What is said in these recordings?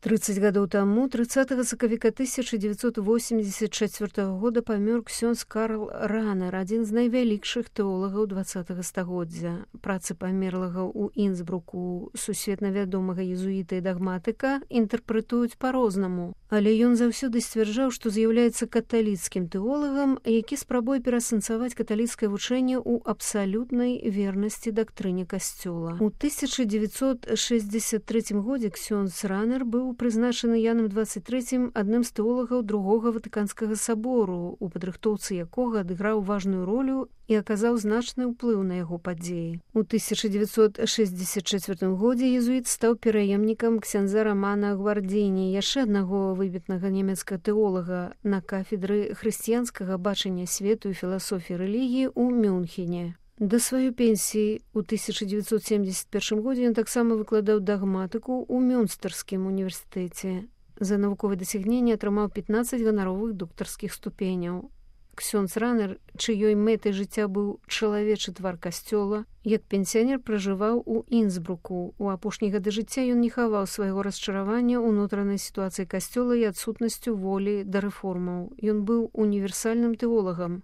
30 гадоў таму, 30 сакавіка 1984 года памёр ксёндз Карл Ранер, адзін з найвялікшых тэолагаў 20 стагоддзя. Працы памерлага ў Інсбруку сусветна вядомага езуіта і дагматыка інтэрпрэтуюць па-рознаму, але ён заўсёды сцвярджаў, што з'яўляецца каталіцкім тэолагам, які спрабуе перасэнсаваць каталіцкае вучэнне ў абсалютнай вернасці дактрыне касцёла. У 1963 годзе ксёндз Ранер быў прызначаны Янам 23 адным з тэолагаў другога Ватыканскага сабору, у падрыхтоўцы якога адыграў важную ролю і аказаў значны ўплыў на яго падзеі. У 1964 годзе езуіт стаў пераемнікам ксяндза Рамана Гвардзіні, яшчэ аднаго выбітнага нямецкага тэолага, на кафедры хрысціянскага бачання свету і філасофіі рэлігіі ў Мюнхене. Да сваёй пенсіі ў 1971 годзе ён таксама выкладаў дагматыку ў Мюнстэрскім універсітэце. За навуковыя дасягненні атрымаў 15 ганаровых доктарскіх ступеняў. Ксёндз Ранер, чыёй мэтай жыцця быў чалавечы твар касцёла, як пенсіянер пражываў у Інсбруку. У апошнія гады жыцця ён не хаваў свайго расчаравання ўнутранай сітуацыі касцёла і адсутнасцю волі да рэформаў. Ён быў універсальным тэолагам.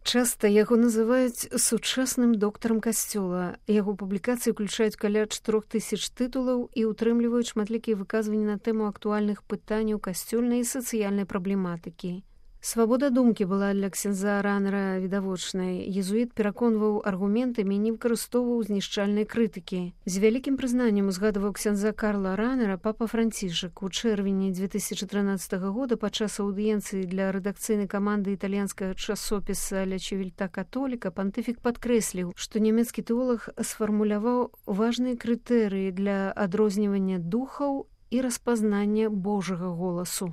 Часта яго называюць сучасным доктарам касцёла. Яго публікацыі ўключаюць каля 4000 тытулаў і ўтрымліваюць шматлікія выказванні на тэму актуальных пытанняў касцёльнай і сацыяльнай праблематыкі. Свабода думкі была для ксяндза Ранера відавочнай. Езуіт пераконваў аргументамі і не выкарыстоўваў знішчальнай крытыкі. З вялікім прызнаннем узгадваў ксяндза Карла Ранера папа Францішак. У чэрвені 2013 года падчас аўдыенцыі для рэдакцыйнай каманды італьянскага часопіса «Ля Чивільта Католіка» пантыфік падкрэсліў, што нямецкі тэолаг сфармуляваў важныя крытэрыі для адрознівання духаў і распазнання Божага голасу.